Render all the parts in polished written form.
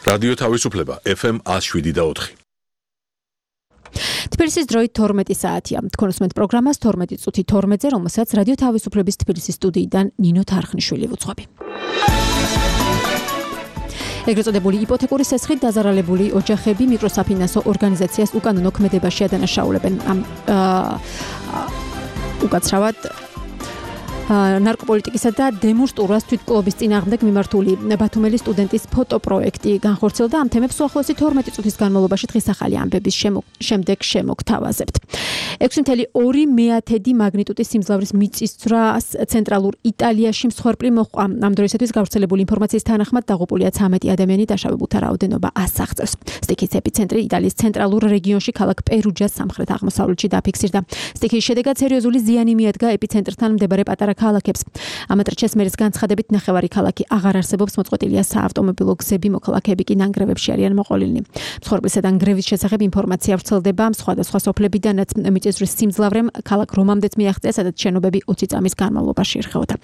რადიო თავისუფლება FM 107.4. თბილისის დროით 12 საათია. თქვენ უსმენთ პროგრამას 12 წუთი 12-ზე, რომელსაც რადიო თავისუფლების თბილისის სტუდიიდან ნინო თარხნიშვილი ვუძღვები. ეგრეთ წოდებული იპოთეკური სესხით დაზარალებული ოჯახები მიკროსაფინანსო ორგანიზაციას უკანონო ქმედებაში ადანაშაულებენ. უკაცრავად ნარკოპოლიტიკისა და დემონსტრუას თვითმკვლობის წინააღმდეგ მიმართული ბათუმელი სტუდენტის ფოტოპროექტი განხორციელდა. ამ თემებს უახლოესი 12 წუთის განმავლობაში დღის ახალი ამბების შემდეგ შემოგთავაზებთ. 6.2 მაგნიტუდის სიმძლავრის მიწისძვრას ცენტრალურ იტალიაში მსხვერპლი მოჰყვა. ამ დროისათვის გავრცელებული ინფორმაციის თანახმად დაღუპულია 13 ადამიანი, დაშავებულთა რაოდენობა 100 აღწევს. სტიქის ეპიცენტრი იტალიის ცენტრალურ რეგიონში ქალაქ პერუჯას სამხრეთ-აღმოსავლეთში დაფიქსირდა. სტიქის შედეგად სერიოზული ზიანი მიადგა ეპიცენტრთან მდებარე პატარა ქალაქებს. ამატრჩეს მერის განცხადებით ნახევარი ქალაქი აღარ არსებობს, მოწყვეტილია საავტომობილო გზები, მოქალაქეები კი ნანგრევებში არიან მოყოლილნი. მსხვერპლისა და ნგრევის შესახებ ინფორმაცია ვრცელდება სხვადასხვა სოფლებიდანაც. მიწისძვრის სიმძლავრემ ქალაქ რომამდეც მიაღწია, სადაც შენობები 20 წამის განმავლობაში ერხეოდა.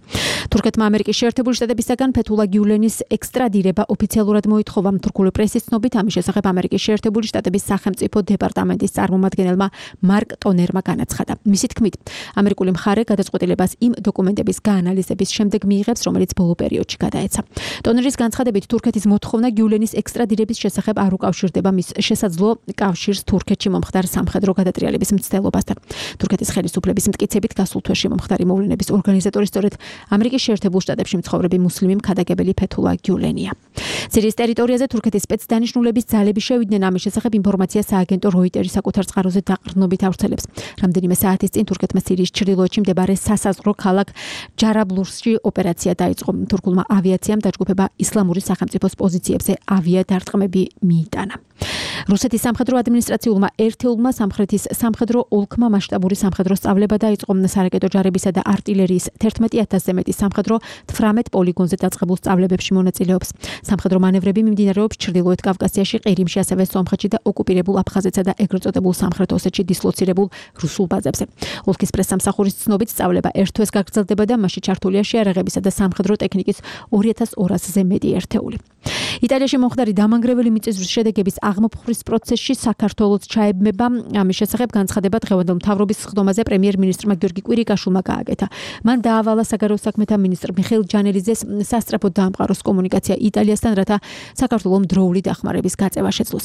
თურქეთმა ამერიკის შეერთებული შტატებისაგან ფეთულა გიულენის ექსტრადირება ოფიციალურად მოითხოვა. თურქული პრესის ცნობით ამის შესახებ ამერიკის შეერთებული შტატების სახელმწიფო დეპარტამენტის წარმომადგენელმა მარკ ტონერმა განაცხადა. მისი თქმით, ამერიკული მხარე გადაწყვეტილებას იმ დოკუმენტების გაანალიზების შემდეგ მიიღებს, რომელიც ბოლო პერიოდში გადაეცა. ტონერის განცხადებით, თურქეთის მოთხოვნა გიულენის ექსტრადირების შესახებ არ უკავშირდება მის შესაძლო კავშირს თურქეთში მომხდარ სამხედრო გადატრიალების მცდელობასთან. თურქეთის ხელისუფლების მტკიცებით გასულ თვეში მომხდარი მოვლენების ორგანიზატორი სწორედ ამერიკის შეერთებულ შტატებში მცხოვრები მუსლიმი მქადაგებელი ფეთულა გიულენია. სირიის ტერიტორიაზე თურქეთის სპეცდანიშნულების ძალები შევიდნენ. ამის შესახებ ინფორმაცია სააგენტო როიტერი საკუთარ წყაროზე დაყრდნობით ავრცელებს. რამდენიმე საათის წინ თურქეთმა სირიის ჩრდილოეთში მდებარე სასაზღვრო ქალაქ ჯარაბლურსში ოპერაცია დაიწყო. თურქულმა ავიაციამ დაჯგუფება ისლამური სახელმწიფოს პოზიციებზე ავიადარტყმები მიიტანა. რუსეთის სამხედრო ადმინისტრაციულმა ერთეულმა სამხრეთის სამხედრო ოლქმა მასშტაბური სამხედრო სწავლება დაიწყო. სარაკეტო ჯარებისა და არტილერიის 11,000-ზე მეტი სამხედრო 18 პოლიგონზე დაწყებულ სწავლებებში მონაწილეობს. სამხედრო მანევრები მიმდინარეობს ჩრდილოეთ კავკასიაში, ყირიმში, ასევე სომხეთში და ოკუპირებულ აფხაზეთსა და ეგრეთ წოდებულ სამხრეთ ოსეთში დისლოცირებულ რუსულ ბაზებზე. ოლქის პრესსამსახურის ცნობით სწავლება ერთ თვეს გაგრძელდება და მასში ჩართულია შეარაღებისა და სამხედრო ტექნიკის 2200-ზე მეტი ერთეული. იტალიაში მომხდარი დამანგრეველი მიწისძვრის შედეგების აღმოფხვრის პროცესში საქართველოს ჩაებმება. ამის შესახებ განცხადება დღევანდელ მთავრობის სხდომაზე პრემიერ-მინისტრმა გიორგი კვირიკაშვილმა გააკეთა. მან დაავალა საგარეო საქმეთა მინისტრ მიხეილ ჯანელიძეს სასწრაფოდ დაამყაროს კომუნიკაცია იტალიასთან, რათა საქართველოს დროული დახმარების გაწევა შეძლოს.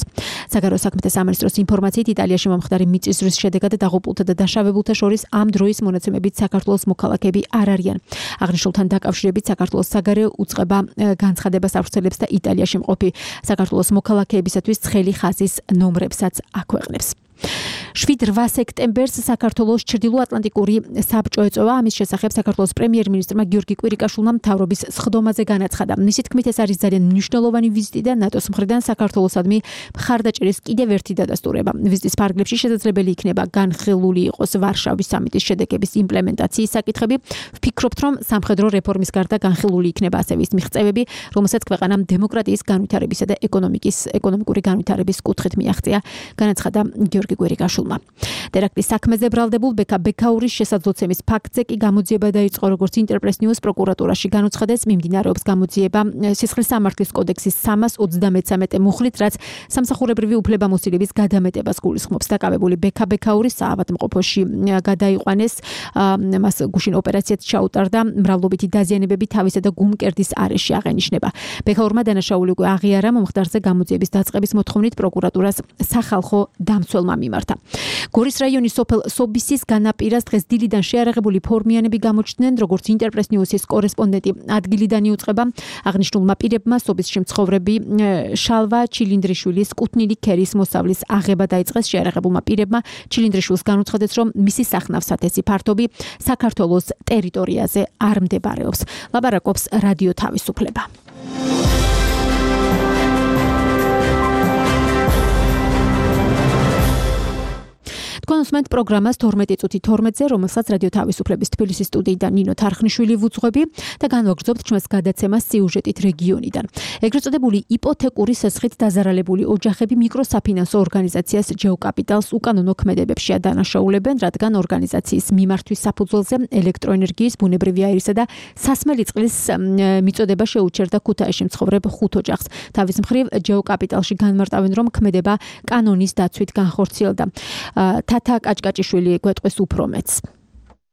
საგარეო საქმეთა სამინისტროს ინფორმაციით, იტალიაში მომხდარი მიწისძვრის შედეგად დაღუპულთა და დაშავებულთა შორის ამ დროის მონაცემებით საქართველოს მოქალაქეები არ არიან. აღნიშნულთან დაკავშირებით საქართველოს საგარეო უწყება განცხადებას ავრცელებს და იტალიაში მყოფი საქართველოს მოქალაქეებისათვის ცხელი ხაზის ნომრებსაც აქვეყნებს. 7-8 სექტემბერს საქართველოს ჩრდილოატლანტიკური საბჭო ეწევა. ამის შესახებ საქართველოს პრემიერ-მინისტრმა გიორგი კვირიკაშვილმა მთავრობის სხდომაზე განაცხადა. მისი თქმით, ეს არის ძალიან მნიშვნელოვანი ვიზიტი და ნატოს მხრიდან საქართველოსადმი მხარდაჭერის კიდევ ერთი დადასტურება. ვიზიტის ფარგლებში შესაძლებელი იქნება განხილული იყოს ვარშავის სამიტის შედეგების იმპლემენტაციის საკითხები. ვფიქრობთ, რომ სამხედრო რეფორმის გარდა განხილული იქნება ასევე ის მიღწევები, რომელსაც ქვეყანამ დემოკრატიის განვითარებისა და ეკონომიკური განვითარების კუთხით მიაღწია, განაცხადა გიორგი კვირიკაშვილმა. ტერაქტის საქმეზე ბრალდებულ ბექა ბექაურის შესაძლოცემის ფაქტზე კი გამოძიება დაიწყო, როგორც ინტერპრეს ნიუს პროკურატურაში განუცხადეს. მიმდინარეობს გამოძიება სისხლის სამართლის კოდექსის 323 მუხლით, რაც სამსახურებრივი უფლებამოსილების გადამეტებას გულისხმობს. დაკავებული ბექა ბექაურის საავადმყოფოში გადაიყვანეს, მას გუშინ ოპერაციაც ჩაუტარდა. მრავლობითი დაზიანებები თავისა და გუმკერდის არეში აღენიშნება. ბექაურმა დანაშაული უკვე აღიარა. მომხდარზე გამოძიების დაწყების მოთხოვნით პროკურატურას სახალხო დამცველმა მიმართა. გორის რაიონის სოფელ სობისის განაპირას დღეს დილიდან შეარაღებული ფორმიანები გამოჩნდნენ, როგორც ინტერპრეს ნიუსის კორესპონდენტი ადგილიდან იუწყება. აღნიშნულმა პირებმა სობისში მცხოვრები შალვა ჩილინდრიშვილის კუთნილი ქერის მოსავლის აღება დაიწყეს. შეარაღებულმა პირებმა ჩილინდრიშვილს განუცხადეს, რომ მისი სახნავ-სათესი ფართობი საქართველოს ტერიტორიაზე არ მდებარეობს. ლაპარაკობს რადიო თავისუფლება. თქვენ უსმენთ პროგრამას 12 წუთი 12-ზე, რომელსაც რადიო თავისუფლების თბილისის სტუდიიდან ნინო თარხნიშვილი ვუძღვები და განვაგრძობთ ჩვენს გადაცემას სიუჟეტით რეგიონიდან. ეგრეთ წოდებული იპოთეკური სესხით დაზარალებული ოჯახები მიკროსაფინანსო ორგანიზაციას ჯეოკაპიტალს უკანონო ქმედებებში ადანაშაულებენ, რადგან ორგანიზაციის მიმართვის საფუძველზე ელექტროენერგიის, ბუნებრივი აირისა და სასმელი წყლის მიწოდება შეუჩერდა ქუთაისში მცხოვრებ 5 ოჯახს. თავის მხრივ ჯეოკაპიტალში განმარტავენ, რომ ქმედება კანონის დაცვით განხორციელდა. თათა კაჭკაჭიშვილი გვეტყვის უფრო მეც.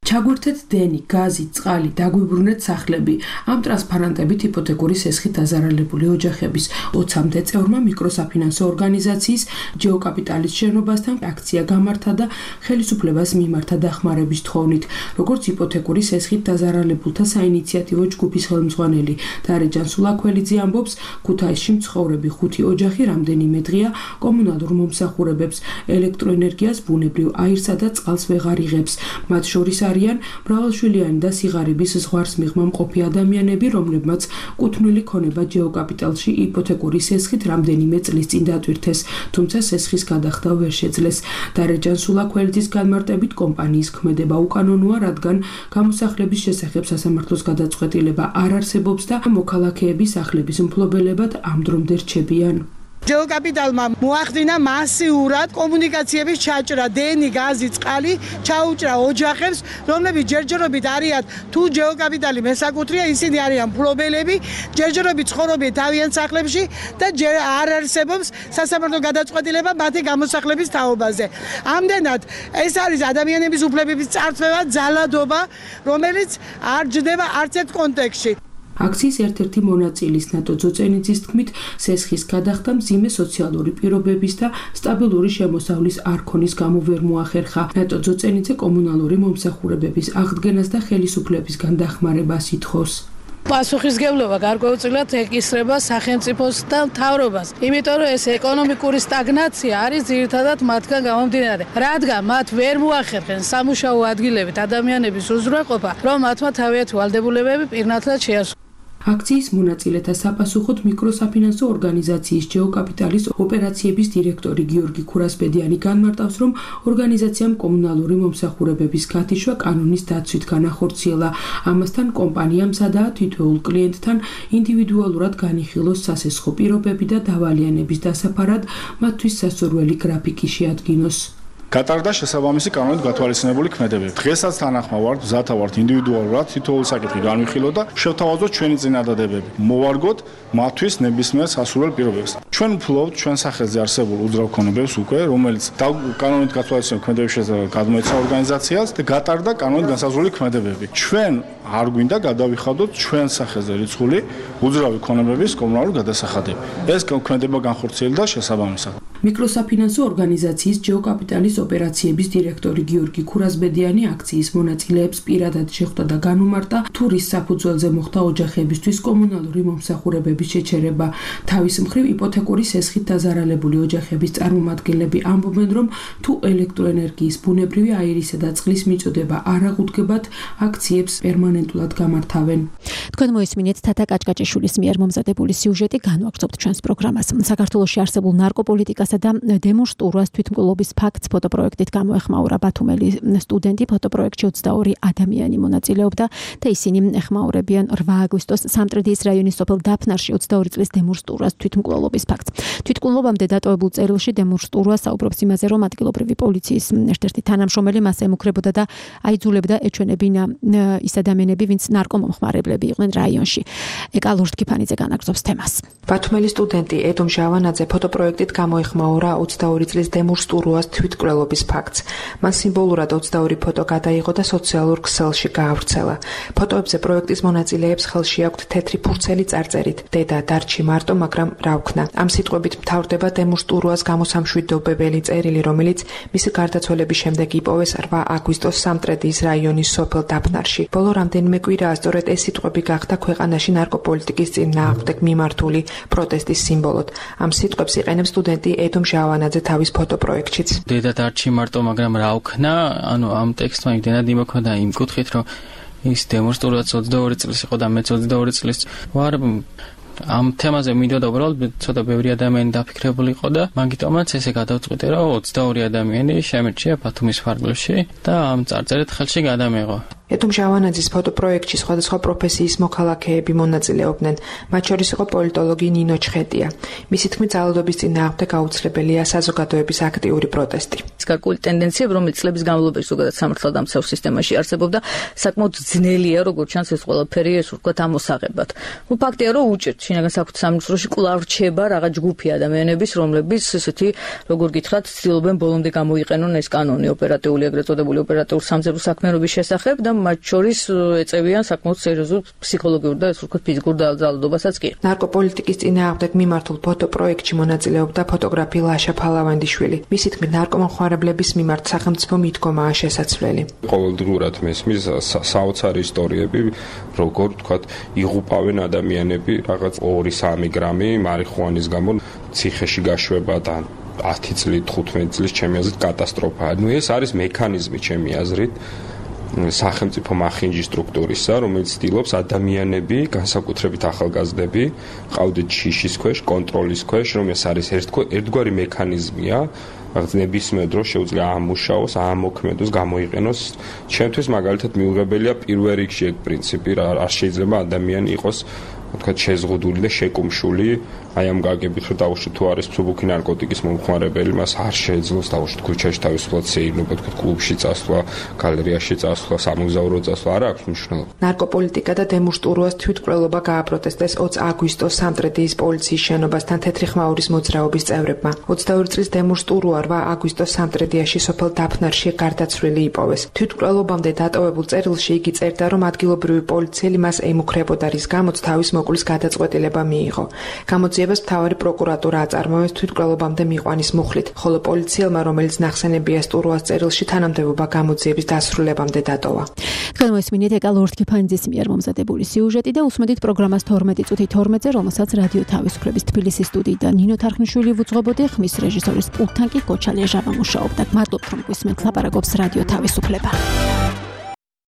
ჩაგვერთეთ დენი, გაზი, წყალი, დაგვიბრუნეთ სახლები. ამ ტრანსპარანტებით იპოთეკური სესხით დაზარალებული ოჯახების 20-მდე წევრმა მიკროსაფინანსო ორგანიზაციის ჯეოკაპიტალის შენობასთან აქცია გამართა და ხელისუფლებას მიმართა დახმარების თხოვნით. როგორც იპოთეკური სესხით დაზარალებულთა საინიციატივო ჯგუფის ხელმძღვანელი დარეჯან სულაქველიძე ამბობს, ქუთაისში მცხოვრები 5 ოჯახი რამდენიმე დღეა კომუნალურ მომსახურებებს, ელექტროენერგიას, ბუნებრივ აირსა და წყალს ვეღარ იღებს. მათ შორის არიან მრავალშვილიანი და სიღარიბის ზღვარს მიღმა მყოფი ადამიანები, რომლებმაც კუთვნილი ქონება ჯეოკაპიტალში იპოთეკური სესხით რამდენიმე წლის წინ დატვირთეს, თუმცა სესხის გადახდა ვერ შეძლეს. დარეჯან სულაქველიძის განმარტებით კომპანიის ქმედება უკანონოა, რადგან გამოსახლების შესახებ სასამართლოს გადაწყვეტილება არ არსებობს და მოქალაქეების სახლების მფლობელებად ამ დრომდე რჩებიან. ჯეოკაპიტალმა მოახდინა მასიურად კომუნიკაციების ჩაჭრა, დენი, გაზი, წყალი ჩაუჭრა ოჯახებს, რომლებიც ჯერჯერობით არიან თუ ჯეოკაპიტალი მესაკუთრეა, ისინი არიან მფლობელები, ჯერჯერობით ცხოვრობენ თავიანთ სახლებში და არ არსებობს სასამართლო გადაწყვეტილება მათი გამოსახლების თაობაზე. ამდენად ეს არის ადამიანების უფლებების წარსულება, ძალადობა, რომელიც არ ჯდება არც ერთ კონტექსტში. აქციის ერთ-ერთი მონაწილის ნატო ძოწენიძის თქმით, სესხის გადახდა მძიმე სოციალური პირობების და სტაბილური შემოსავლის არქონის გამო ვერ მოახერხა. ნატო ძოწენიძე კომუნალური მომსახურებების აღდგენას და ხელისუფლებისგან დახმარებას ითხოვს. პასუხისგებლობა გარკვეულწილად ეკისრება სახელმწიფოს და მთავრობას, იმიტომ რომ ეს ეკონომიკური სტაგნაცია არის ძირითადად მათგან გამომდინარე, რადგან მათ ვერ მოახერხენ სამუშაო ადგილებით ადამიანების უზრუნველყოფა, რომ მათმა თავიანთი ვალდებულებები პირნათლად შეასრულონ. აქციის მონაწილეთა საპასუხოდ მიკროსაფინანსო ორგანიზაციის ჯეოკაპიტალის ოპერაციების დირექტორი გიორგი ქურასბედიანი განმარტავს, რომ ორგანიზაციამ კომუნალური მომსახურებების გათიშვა კანონის დაცვით განახორციელა. ამასთან კომპანიამ სადაა თითოეულ კლიენტთან ინდივიდუალურად განიხილოს სასესხო პირობები და დავალიანების დასაფარად მათთვის სასურველი გრაფიკი შეადგინოს. გატარდა შესაბამისი კანონით გათვალისწინებული ქმედებები. დღესაც თანახმა ვართ, მზათა ვართ ინდივიდუალურად თითოეული საკითხი განვიხილოთ და შევთავაზოთ ჩვენი წინადადებები. მოვარგოთ მათთვის ნებისმიერ სასურველ პირობებს. ჩვენ ვფლობთ ჩვენ სახელზე არსებულ უძრავ ქონებებს უკვე, რომელიც კანონით გათვალისწინებული ქმედების შესახებ გადმოეცა ორგანიზაციას და გატარდა კანონით განსაზღვრული ქმედებები. ჩვენ არ გვინდა გადავიხადოთ ჩვენ სახელზე რიცხული უძრავი ქონებების კომუნალური გადასახადები. ეს ქმედება განხორციელდა შესაბამისად. მიკროსაფინანსო ორგანიზაციის ჯეოკაპიტალის ოპერაციების დირექტორი გიორგი ქურასბედიანი აქციის მონაწილეებს პირადად შეხვდა და განუმარტა, თუ რის საფუძველზე მოხდა ოჯახებისთვის კომუნალური მომსახურებების შეჩერება. თავის მხრივ იპოთეკური სესხით დაზარალებული ოჯახების წარმომადგენლები ამბობენ, რომ თუ ელექტროენერგიის, ბუნებრივი აირისა და წყლის მიწოდება არ აღუდგებათ, აქციებს პერმანენტულად გამართავენ. თქვენ მოისმინეთ თათა კაჭკაჭიშვილის მიერ მომზადებული სიუჟეტი, განვაგრძობთ ჩვენს პროგრამას. საქართველოში არსებულ ნარკოპოლიტიკასა და დემონსტრუას თვითმკვლელობის ფაქტს ფოტოპროექტით გამოეხმაურა ბათუმელი სტუდენტი. ფოტოპროექტში 22 ადამიანი მონაწილეობდა და ისინი ეხმაურებიან 8 აგვისტოს სამტრედიის რაიონის სოფელ დაფნარში 22 წლის დემონსტრუას თვითმკვლელობის ფაქტს. თვითმკვლელობამდე დატოვებულ წერილში დემონსტრუა საუბრობს იმაზე, რომ ადგილობრივი პოლიციის ერთ-ერთი თანამშრომელი მას ემუქრებოდა და აიძულებდა ეჩვენებინა ის ადამიანები, ვინც ნარკომომხმარებლები იყვნენ რაიონში. ეკა ლურჯკიფანიძე განაგრძობს თემას. ბათუმელი სტუდენტი ედომ ჟავანაძე ფოტოპროექტით გამოეხმაურა 22 წლის დემონსტრუას თვითმკვლელობის ფაქტს. მან სიმბოლურად 22 ფოტო გადაიღო და სოციალურ ქსელში გაავრცელა. ფოტოებზე პროექტის მონაწილეებს ხელში აქვთ თეთრი ფურცელი წარწერით „დედა დარჩი მარტო, მაგრამ რა ვქნა“. ამ სიტყვებით მთავრდება დემონსტრუას გამოსამშვიდობებელი წერილი, რომელიც მისი გარდაცვალების შემდეგ იპოვეს 8 აგვისტოს სამტრედიის რაიონის სოფელ დაფნარში. ბოლო რამდენიმე კვირაა სწორედ ეს სიტყვები გახდა ქვეყანაში ნარკოპოლიტიკის წინააღმდეგ მიმართული პროტესტის სიმბოლოდ. ამ სიტყვებს იყენებს სტუდენტი ედომ ჟავანაძე თავის ფოტოპროექტშიც. დედა დარჩი მარტო, მაგრამ რა ვქნა? ანუ ამ ტექსტმა იმდენად იმოქმედა იმ კუთხით, რომ ის დემონსტრუაც 22 წლის იყო და მეც 22 წლის ვარ. ამ თემაზე მინდოდა უბრალოდ ცოტა ბევრი ადამიანი დაფიქრებული იყო და მაგიტომაც ესე გადავწყვიტე, რომ 22 ადამიანი შემერჩია ბათუმის ფარგლებში და ამ წარწერით ხელში გადამეღო. ეთუმ ჟავანაძის ფოტოპროექტში სხვადასხვა პროფესიის მოქალაქეები მონაწილეობდნენ, მათ შორის იყო პოლიტოლოგი ნინო ჩხეტია. მისი თქმით, ძალადობის წინააღმდეგ აუცილებელია საზოგადოების აქტიური პროტესტი. გარკვეული ტენდენციები, რომელიც წლების განმავლობაში ზოგადად სამართალდამცავ სისტემაში არსებობდა, საკმაოდ ძნელია, როგორც ჩანს ეს ყველაფერი, ეს ვთქვათ, ამოსაღებად. ფაქტია, რომ უჭირთ შინაგან საქმეთა სამინისტროში კვლავ რჩება რაღაც ჯგუფი ადამიანების, რომლებიც ესეთი, როგორ გითხრათ, ცდილობენ ბოლომდე გამოიყენონ ეს კანონი ოპერატიული, ეგრეთ წოდებული ოპერატიულ სამზერო საქმიანობის შესახებ და მათ შორის ეწევიან საკმაოდ სერიოზულ ფსიქოლოგიურ და ეს ვთქვათ ფიზიკურ ძალადობასაც კი. ნარკოპოლიტიკის წინააღმდეგ მიმართულ ფოტოპროექტში მონაწილეობდა ფოტოგრაფი ლაშა ფალავანდიშვილი. მისი თქმით, ნარკომანხმარებლების მიმართ სახელმწიფო მიდგომაა შესაძლებელი. ყოველდღურად მესმის საოცარი ისტორიები, როგორ ვთქვათ, იღუპავენ ადამიანები რაღაც 2-3 გრამი მარიხუანის გამო ციხეში გაშვება და 10 წლით, 15 წლის ჩემი აზრით კატასტროფაა. ეს არის მექანიზმი ჩემი აზრით სახელმწიფო მახინჯი სტრუქტურისა, რომელიც ცდილობს ადამიანები, განსაკუთრებით ახალგაზრდები, ყავდეთ შიშის ქვეშ, კონტროლის ქვეშ, რომ ეს არის ერთგვარი მექანიზმია, რაღაც ნებისმიერ დროს შეუძლია ამუშაოს, ამოქმედოს, გამოიყენოს. ჩემთვის მაგალითად მიუღებელია პირველ რიგში ეგ პრინციპი, არ შეიძლება ადამიანი იყოს ვთქვათ შეზღუდული და შეკუმშული, აი ამ გაგებით რომ დაუშვით თუ არის მსუბუქი ნარკოტიკის მომხმარებელი, მას არ შეეძლოს დაუშვით ქუჩაში თავისუფლად სეირნობა, ვთქვათ კლუბში წასვლა, გალერეაში წასვლა, სამოგზაურო წასვლა, არ აქვს მნიშვნელობა. ნარკოპოლიტიკა და დემუშტურუას თვითმკვლელობა გააპროტესტეს 20 აგვისტოს სამტრედიის პოლიციის შენობასთან თეთრი ხმაურის მოძრაობის წევრებმა. 22 წლის დემუშტურუა 8 აგვისტოს სამტრედიაში სოფელ დაფნარში გარდაცვლილი იპოვეს. თვითმკვლელობამდე დატოვებულ წერილში იგი წერდა, რომ ადგილობრივი პოლიციელი მას ემუქრებოდა, რის გამოც თავის მოკვლის გადაწყვეტილება მიიღო. გამოძიებას მთავარი პროკურატურა აწარმოებს თვითმკვლელობამდე მიყვანის მუხლით, ხოლო პოლიციელმა, რომელიც ნახსენებია სტურუას წერილში, თანამდებობა გამოძიების დასრულებამდე დატოვა. თქვენ მოისმინეთ ეკა ლორდ კიფანიძის მიერ მომზადებული სიუჟეტი და უსმენთ პროგრამას 12 წუთი 12-ზე, რომელსაც რადიო თავისუფლების თბილისის სტუდიიდან ნინო თარხნიშვილი ვუძღვებოდი, ხმის რეჟისორის პულტთან კი კოჩალია ჟაბა მუშაობდა. მადლობთ, რომ გვისმენთ ლაპარაკობს რადიო თავისუფლება.